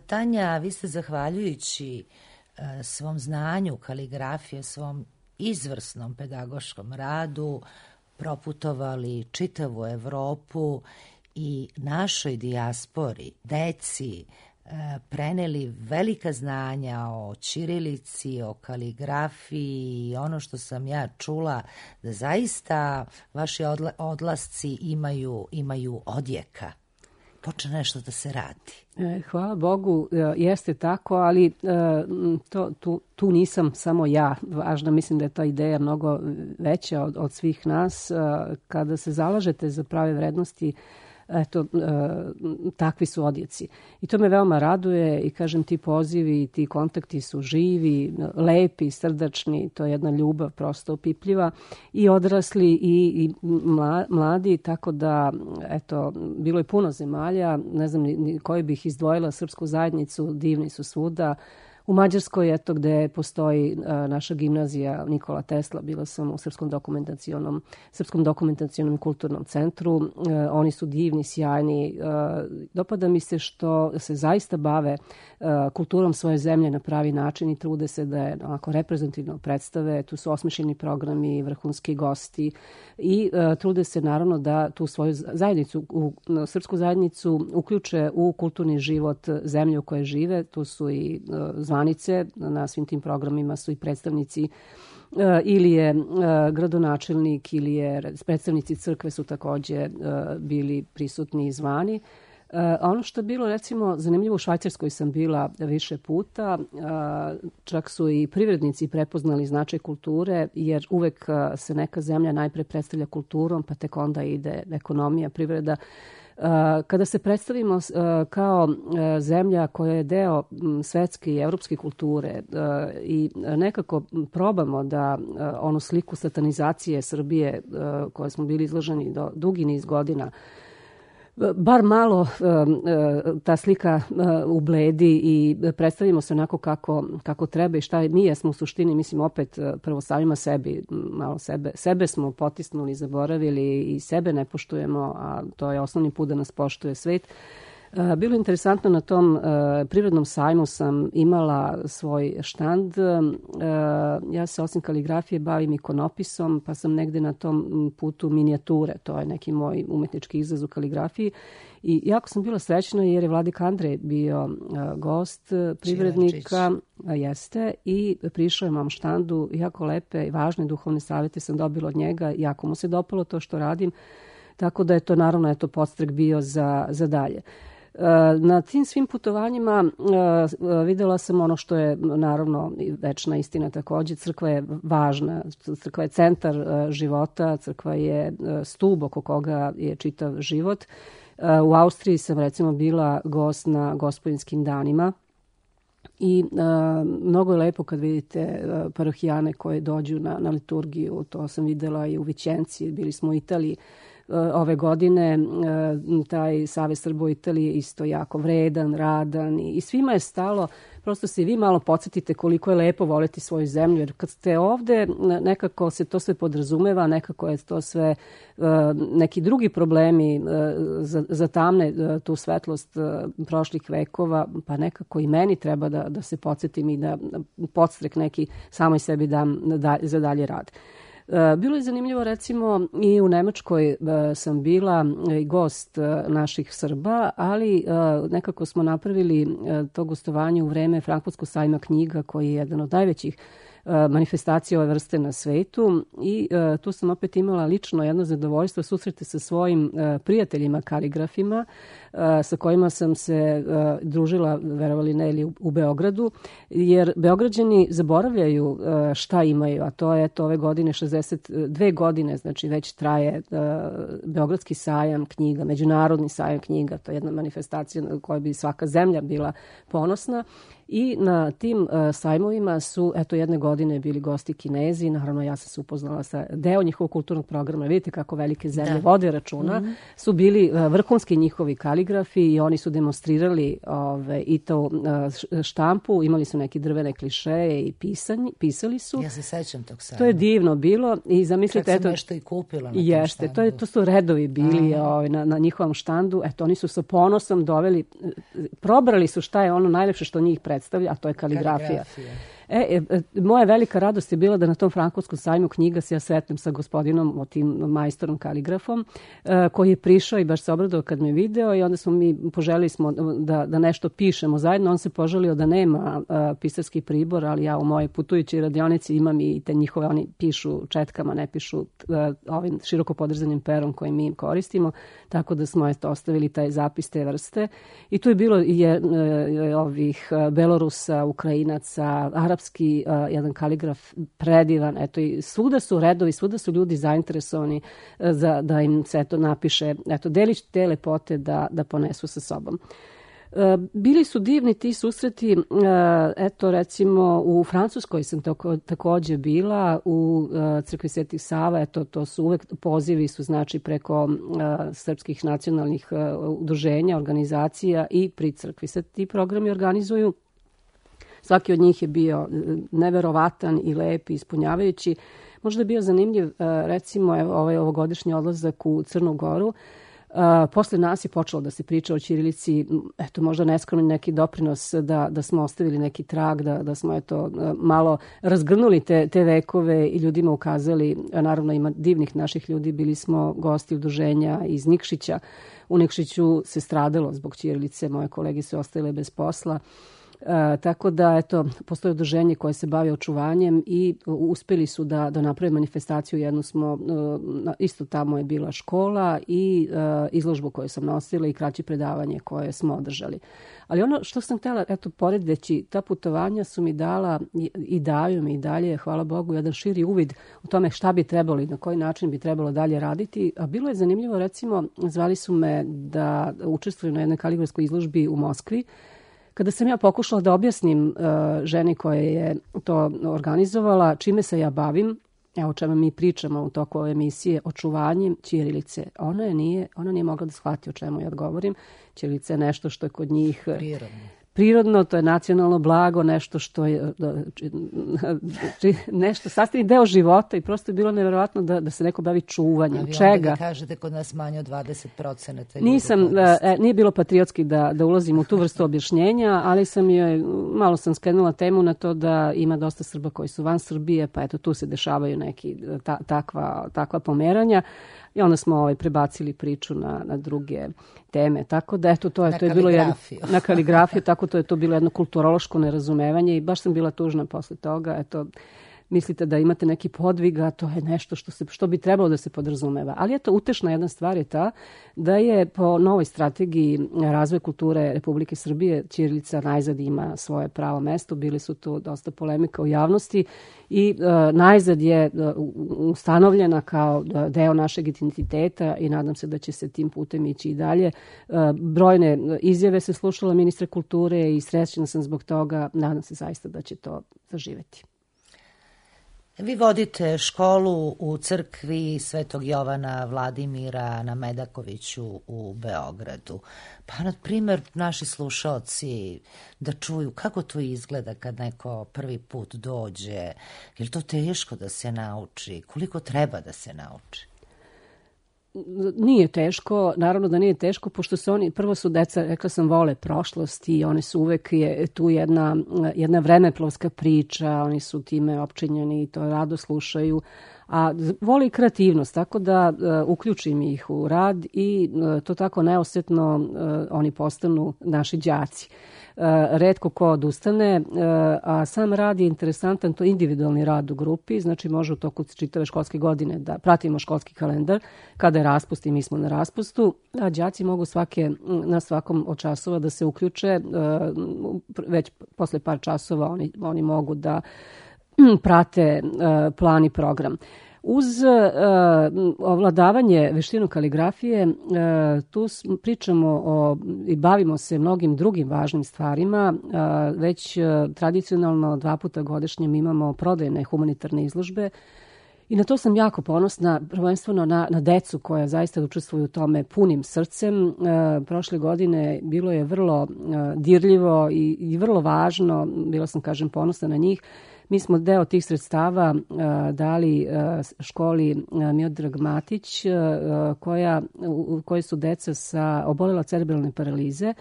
Tanja, vi ste zahvaljujući svom znanju kaligrafije, svom izvrsnom pedagoškom radu proputovali čitavu Evropu i našoj dijaspori, deci, preneli velika znanja o ćirilici, o kaligrafiji i ono što sam ja čula, da zaista vaši odla, odlasci imaju, imaju odjeka. Počne nešto da se radi. Hvala Bogu, jeste tako, ali to, tu, tu nisam samo ja. Važno, mislim da je ta ideja mnogo veća od, od svih nas. Kada se zalažete za prave vrednosti, eto, takvi su odjeci. I to me veoma raduje i kažem, ti pozivi i ti kontakti su živi, lepi, srdačni, to je jedna ljubav prosto opipljiva i odrasli i, i mladi, tako da, eto, bilo je puno zemalja, ne znam ni koje bih izdvojila, srpsku zajednicu, divni su svuda. U Mađarskoj, eto, gde postoji a, naša gimnazija Nikola Tesla, bila sam u Srpskom dokumentacionom, Srpskom dokumentacionom i kulturnom centru. E, oni su divni, sjajni. E, dopada mi se što se zaista bave e, kulturom svoje zemlje na pravi način i trude se da je onako reprezentativno predstave. Tu su osmišljeni programi, vrhunski gosti i e, trude se naravno da tu svoju zajednicu, u, srpsku zajednicu uključe u kulturni život zemlje u kojoj žive. Tu su i e, zvanice, na svim tim programima su i predstavnici ili je gradonačelnik ili je predstavnici crkve su takođe bili prisutni i zvani. Ono što je bilo, recimo, zanimljivo, u Švajcarskoj sam bila više puta, čak su i privrednici prepoznali značaj kulture, jer uvek se neka zemlja najpre predstavlja kulturom, pa tek onda ide ekonomija, privreda. Kada se predstavimo kao zemlja koja je deo svetske i evropske kulture i nekako probamo da onu sliku satanizacije Srbije koje smo bili izloženi do dugi niz godina, bar malo ta slika ubledi i predstavimo se onako kako, kako treba i šta mi jesmo u suštini, mislim opet prvo samima sebi, malo sebe, sebe smo potisnuli, zaboravili i sebe ne poštujemo, a to je osnovni put da nas poštuje svet. Bilo je interesantno, na tom uh, privrednom sajmu sam imala svoj štand. Uh, ja se osim kaligrafije bavim ikonopisom, pa sam negde na tom putu minijature. To je neki moj umetnički izraz u kaligrafiji. I jako sam bila srećna jer je Vladika Andrej bio uh, gost privrednika. Jeste. I prišao je mom štandu. Jako lepe i važne duhovne savjete sam dobila od njega. Jako mu se dopalo to što radim. Tako da je to naravno eto, podstrek bio za, za dalje. Na tim svim putovanjima videla sam ono što je naravno večna istina takođe. Crkva je važna, crkva je centar života, crkva je stub oko koga je čitav život. U Austriji sam recimo bila gost na Gospodinskim danima i mnogo je lepo kad vidite parohijane koje dođu na, na liturgiju. To sam videla i u Vićenci, bili smo u Italiji. Ove godine taj Savez Srba u Italiji je isto jako vredan, radan i svima je stalo. Prosto se i vi malo podsjetite koliko je lepo voleti svoju zemlju, jer kad ste ovde nekako se to sve podrazumeva, nekako je to sve neki drugi problemi zatamne tu svetlost prošlih vekova, pa nekako i meni treba da, da se podsjetim i da podstrek neki samoj sebi dam za dalje rad. Bilo je zanimljivo, recimo, i u Nemačkoj sam bila i gost naših Srba, ali nekako smo napravili to gostovanje u vreme Frankfurtskog sajma knjiga, koji je jedan od najvećih manifestacija ove vrste na svetu i uh, tu sam opet imala lično jedno zadovoljstvo susrete sa svojim uh, prijateljima kaligrafima uh, sa kojima sam se uh, družila, verovali ne, ili u, u Beogradu, jer Beograđani zaboravljaju uh, šta imaju, a to je eto, ove godine šezdeset dve godine, znači već traje uh, Beogradski sajam knjiga, međunarodni sajam knjiga, to je jedna manifestacija na kojoj bi svaka zemlja bila ponosna. I na tim uh, sajmovima su, eto, jedne godine bili gosti Kinezi, naravno ja sam se upoznala sa deo njihovog kulturnog programa, vidite kako velike zemlje da. vode računa, mm-hmm. su bili uh, vrhunski njihovi kaligrafi i oni su demonstrirali ove, i to uh, štampu, imali su neke drvene klišeje i pisanje, pisali su. Ja se sećam tog sajma. To je divno bilo i zamislite, čak sam eto, nešto i kupila na jeste, to, je, to su redovi bili ovaj, na, na njihovom štandu, eto, oni su sa ponosom doveli, probrali su šta je ono najlepše što njih predstavlja, a to je kaligrafija. kaligrafija. E, e, moja velika radost je bila da na tom Frankovskom sajmu knjiga se ja sretnem sa gospodinom, o tim majstorom kaligrafom, e, koji je prišao i baš se obradao kad me video i onda smo mi poželili smo da, da nešto pišemo zajedno. On se poželio da nema a, pisarski pribor, ali ja u mojoj putujućoj radionici imam i te njihove, oni pišu četkama, ne pišu a, ovim široko podrzanim perom koji mi koristimo, tako da smo eto, ostavili taj zapis te vrste. I tu je bilo i je, e, ovih Belorusa, Ukrajinaca, Arapski, uh, jedan kaligraf predivan, eto i svuda su redovi, svuda su ljudi zainteresovani uh, za, da im se to napiše, eto delić te lepote da, da ponesu sa sobom. Uh, bili su divni ti susreti, uh, eto recimo u Francuskoj sam tako, takođe bila, u uh, crkvi Svetih Sava, eto to su uvek pozivi su znači preko uh, srpskih nacionalnih uh, udruženja, organizacija i pri crkvi se ti programi organizuju. Svaki od njih je bio neverovatan i lep i ispunjavajući. Možda je bio zanimljiv, recimo, evo, ovaj ovogodišnji odlazak u Crnu Goru. Posle nas je počelo da se priča o ćirilici, eto, možda neskromni neki doprinos da, da smo ostavili neki trag, da, da smo eto, malo razgrnuli te, te vekove i ljudima ukazali. Naravno, ima divnih naših ljudi, bili smo gosti udruženja iz Nikšića. U Nikšiću se stradalo zbog ćirilice, moje kolege su ostale bez posla. E, tako da, eto, postoje udruženje koje se bavi očuvanjem i uspeli su da, da naprave manifestaciju. Jednu smo, e, isto tamo je bila škola i e, izložbu koju sam nosila i kraće predavanje koje smo održali. Ali ono što sam htjela, eto, poredeći, ta putovanja su mi dala i, i daju mi i dalje, hvala Bogu, jedan širi uvid u tome šta bi trebalo i na koji način bi trebalo dalje raditi. A bilo je zanimljivo, recimo, zvali su me da učestvujem na jednoj kaligrafskoj izložbi u Moskvi. Kada sam ja pokušala da objasnim uh, ženi koja je to organizovala, čime se ja bavim, evo o čemu mi pričamo u toku ove emisije, očuvanjem ćirilice, ona, je nije, ona nije mogla da shvati o čemu ja govorim. Ćirilica je nešto što je kod njih prirodno. Prirodno, to je nacionalno blago, nešto što je nešto sastavni deo života i prosto je bilo nevjerovatno da, da se neko bavi čuvanjem. A vi čega? onda da kažete kod nas manje od dvadeset procenata ljudi. Nisam, e, nije bilo patriotski da, da ulazim u tu vrstu objašnjenja, ali sam joj, malo sam skrenula temu na to da ima dosta Srba koji su van Srbije, pa eto tu se dešavaju neki ta, takva, takva pomeranja. I onda smo ovaj, prebacili priču na, na druge teme. Tako da, eto, to je, na to je bilo jedno, na kaligrafiju, tako to je to bilo jedno kulturološko nerazumevanje i baš sam bila tužna posle toga. Eto, mislite da imate neki podvig, a to je nešto što, se, što bi trebalo da se podrazumeva. Ali eto, utešna jedna stvar je ta da je po novoj strategiji razvoja kulture Republike Srbije ćirilica najzad ima svoje pravo mesto. Bili su tu dosta polemika u javnosti i uh, najzad je uh, ustanovljena kao deo našeg identiteta i nadam se da će se tim putem ići i dalje. Uh, brojne izjave se slušala ministra kulture i srećna sam zbog toga. Nadam se zaista da će to zaživeti. Vi vodite školu u crkvi Svetog Jovana Vladimira na Medakoviću u Beogradu. Pa, na primjer, naši slušaoci da čuju kako to izgleda kad neko prvi put dođe. Je li to teško da se nauči? Koliko treba da se nauči? Nije teško, naravno da nije teško, pošto su oni, prvo su deca, rekla sam, vole prošlost i oni su uvek je tu jedna, jedna vremeplovska priča, oni su time opčinjeni i to rado slušaju, a vole i kreativnost, tako da uh, uključim ih u rad i uh, to tako neosetno uh, oni postanu naši đaci. Uh, retko ko odustane, uh, a sam rad je interesantan, to je individualni rad u grupi, znači može u toku čitave školske godine da pratimo školski kalendar, kada je raspust i mi smo na raspustu, a đaci mogu svake, na svakom od časova da se uključe, uh, već posle par časova oni, oni mogu da prate uh, plan i program. Uz uh, ovladavanje veštinu kaligrafije, uh, tu pričamo o, i bavimo se mnogim drugim važnim stvarima. Uh, već uh, tradicionalno dva puta godišnje mi imamo prodajne humanitarne izložbe i na to sam jako ponosna, prvenstveno na, na decu koja zaista učestvuju u tome punim srcem. Uh, prošle godine bilo je vrlo uh, dirljivo i, i vrlo važno, bila sam, kažem, ponosna na njih. Mi smo deo tih sredstava uh, dali uh, školi uh, Miodrag Matić, uh, koja, u kojoj su deca sa obolela cerebralne paralize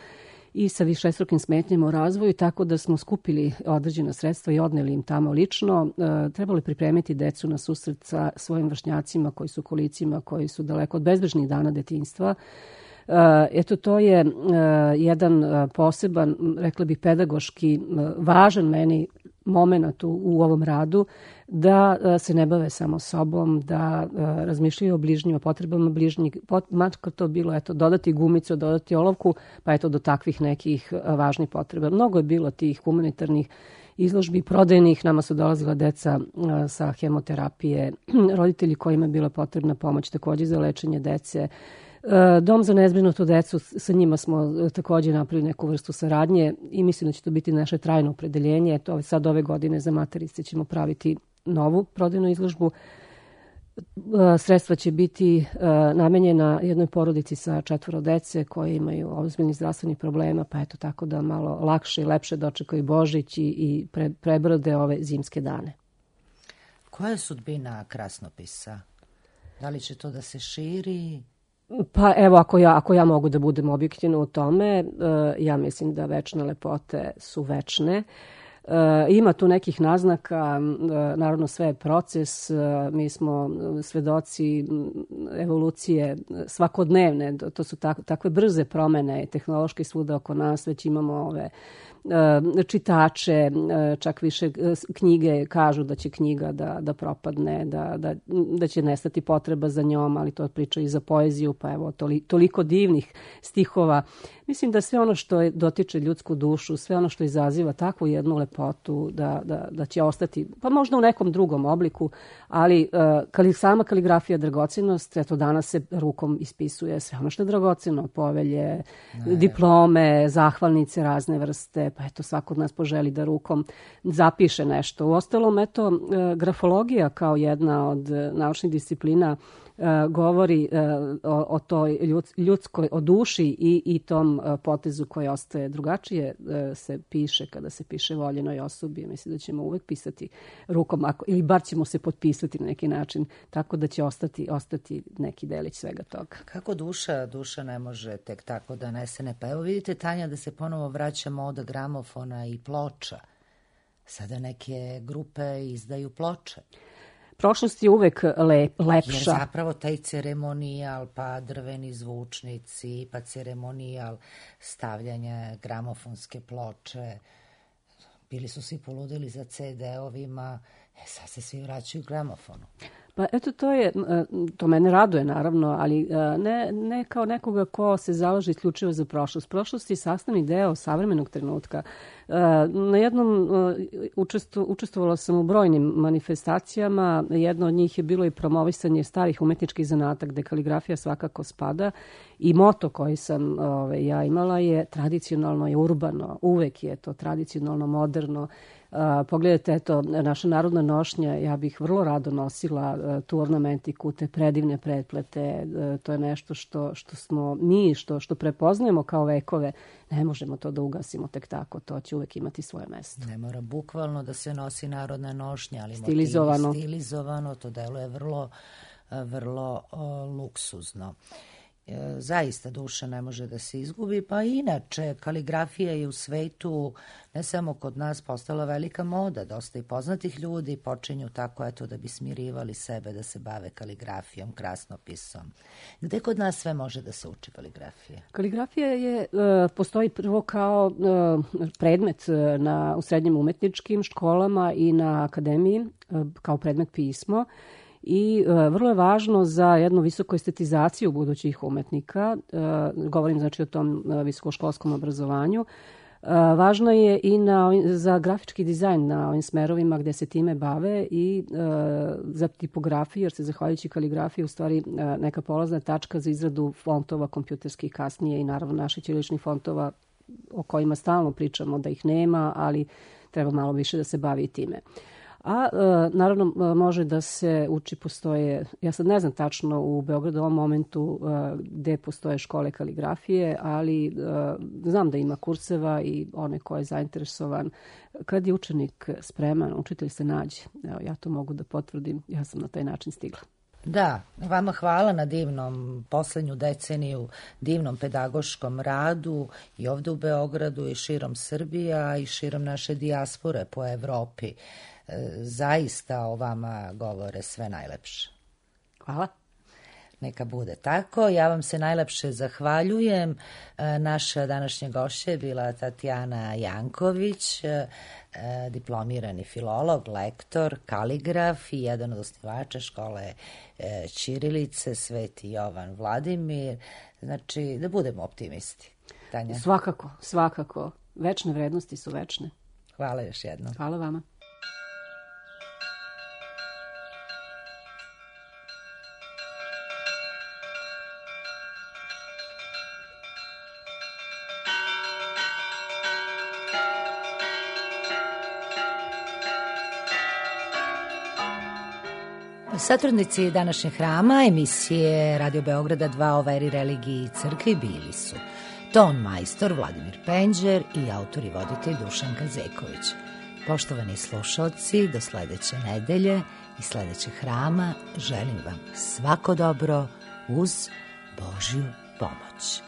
i sa višestrukim smetnjama u razvoju, tako da smo skupili određena sredstva i odneli im tamo lično. Uh, trebalo je pripremiti decu na susret sa svojim vršnjacima koji su kolicima, koji su daleko od bezbrižnih dana detinjstva. Uh, eto, to je uh, jedan uh, poseban, rekla bih, pedagoški uh, važan meni moment u, u ovom radu, da uh, se ne bave samo sobom, da uh, razmišljaju o bližnjima, potrebama bližnjih, pot, makar to bilo, eto, dodati gumicu, dodati olovku, pa eto, do takvih nekih uh, važnih potreba. Mnogo je bilo tih humanitarnih izložbi prodajnih, nama su dolazila deca uh, sa hemoterapije, roditelji kojima je bila potrebna pomoć takođe za lečenje dece. Dom za nezbrinutu decu, sa njima smo takođe napravili neku vrstu saradnje i mislim da će to biti naše trajno opredeljenje. To sad ove godine za materice ćemo praviti novu prodajnu izložbu. Sredstva će biti namenjena jednoj porodici sa četvoro dece koje imaju ozbiljnih zdravstvenih problema, pa eto, tako da malo lakše i lepše dočekaju Božić i, i pre, prebrode ove zimske dane. Koja je sudbina krasnopisa? Da li će to da se širi? Pa evo, ako ja, ako ja mogu da budem objektivna u tome, ja mislim da večne lepote su večne. Ima tu nekih naznaka, naravno sve je proces, mi smo svedoci evolucije svakodnevne, to su tak, takve brze promene tehnološke svuda oko nas, već imamo ove čitače, čak više knjige kažu da će knjiga da, da propadne, da, da, da će nestati potreba za njom, ali to priča i za poeziju, pa evo toli, toliko divnih stihova. Mislim da sve ono što je, dotiče ljudsku dušu, sve ono što izaziva takvu jednu lepotu, da, da, da će ostati, pa možda u nekom drugom obliku, ali kali, sama kaligrafija dragocenost, eto danas se rukom ispisuje sve ono što je dragoceno, povelje, ne, diplome, zahvalnice razne vrste, pa eto svako od nas poželi da rukom zapiše nešto. Uostalom, eto, grafologija kao jedna od naučnih disciplina govori o, o toj ljudskoj, o duši i, i tom potezu koji ostaje drugačije se piše kada se piše voljenoj osobi. Mislim da ćemo uvek pisati rukom, ako, ili bar ćemo se potpisati na neki način, tako da će ostati, ostati neki delić svega toga. Kako duša, duša ne može tek tako da nesene. Pa evo vidite, Tanja, da se ponovo vraća moda gramofona i ploča. Sada neke grupe izdaju ploče. Prošlost je uvek lep, lepša. Jer zapravo taj ceremonijal, pa drveni zvučnici, pa ceremonijal stavljanja gramofonske ploče, bili su svi poludili za ce de-ovima, e sad se svi vraćaju gramofonu. Pa eto, to je, to mene raduje naravno, ali ne, ne kao nekoga ko se zalaže isključivo za prošlost. Prošlost je sastavni deo savremenog trenutka. Na jednom učestvo, učestvovala sam u brojnim manifestacijama, jedno od njih je bilo i promovisanje starih umetničkih zanata, gde kaligrafija svakako spada, i moto koji sam ove, ja imala je tradicionalno je urbano, uvek je to tradicionalno, moderno. Uh, pogledajte, eto, naša narodna nošnja, ja bih vrlo rado nosila uh, tu ornamentiku, te predivne pretplete, uh, to je nešto što, što smo mi, što, što prepoznajemo kao vekove, ne možemo to da ugasimo tek tako, to će uvek imati svoje mesto. Ne mora bukvalno da se nosi narodna nošnja, ali stilizovano, motiv, stilizovano, to deluje vrlo, vrlo uh, luksuzno. Zaista duša ne može da se izgubi, pa inače kaligrafija je u svetu, ne samo kod nas, postala velika moda. Dosta i poznatih ljudi počinju tako, eto, da bi smirivali sebe, da se bave kaligrafijom, krasnopisom. Gde kod nas sve može da se uči kaligrafija? Kaligrafija je, postoji prvo kao predmet na, u srednjim umetničkim školama i na akademiji, kao predmet pismo. I e, vrlo je važno za jednu visoku estetizaciju budućih umetnika, e, govorim znači o tom e, visokoškolskom obrazovanju. Važno je i na, za grafički dizajn na ovim smerovima gde se time bave i e, za tipografiju, jer se zahvaljujući kaligrafiji u stvari e, neka polazna tačka za izradu fontova kompjuterskih kasnije i naravno naših ćiriličnih fontova o kojima stalno pričamo da ih nema, ali treba malo više da se bavi i time. A e, naravno može da se uči, postoje, ja sad ne znam tačno u Beogradu u ovom momentu e, gde postoje škole kaligrafije, ali e, znam da ima kurseva i one ko je zainteresovan. Kad je učenik spreman, učitelj se nađe. Evo, ja to mogu da potvrdim, ja sam na taj način stigla. Da, vama hvala na divnom poslednju deceniju, divnom pedagoškom radu i ovde u Beogradu i širom Srbija i širom naše dijaspore po Evropi. Zaista o vama govore sve najlepše. Hvala. Neka bude tako. Ja vam se najlepše zahvaljujem. Naša današnja gošća je bila Tatjana Janković, diplomirani filolog, lektor, kaligraf i jedan od osnivača škole ćirilice Sveti Jovan Vladimir. Znači, da budemo optimisti. Tanja? Svakako, svakako. Večne vrednosti su večne. Hvala još jednom. Hvala vama. Satrudnici današnjeg hrama emisije Radio Beograda dva o veri, religiji i crkvi bili su ton majstor Vladimir Penđer i autor i voditelj Dušan Kazeković. Poštovani slušalci, do sledeće nedelje i sledećeg hrama želim vam svako dobro uz Božju pomoć.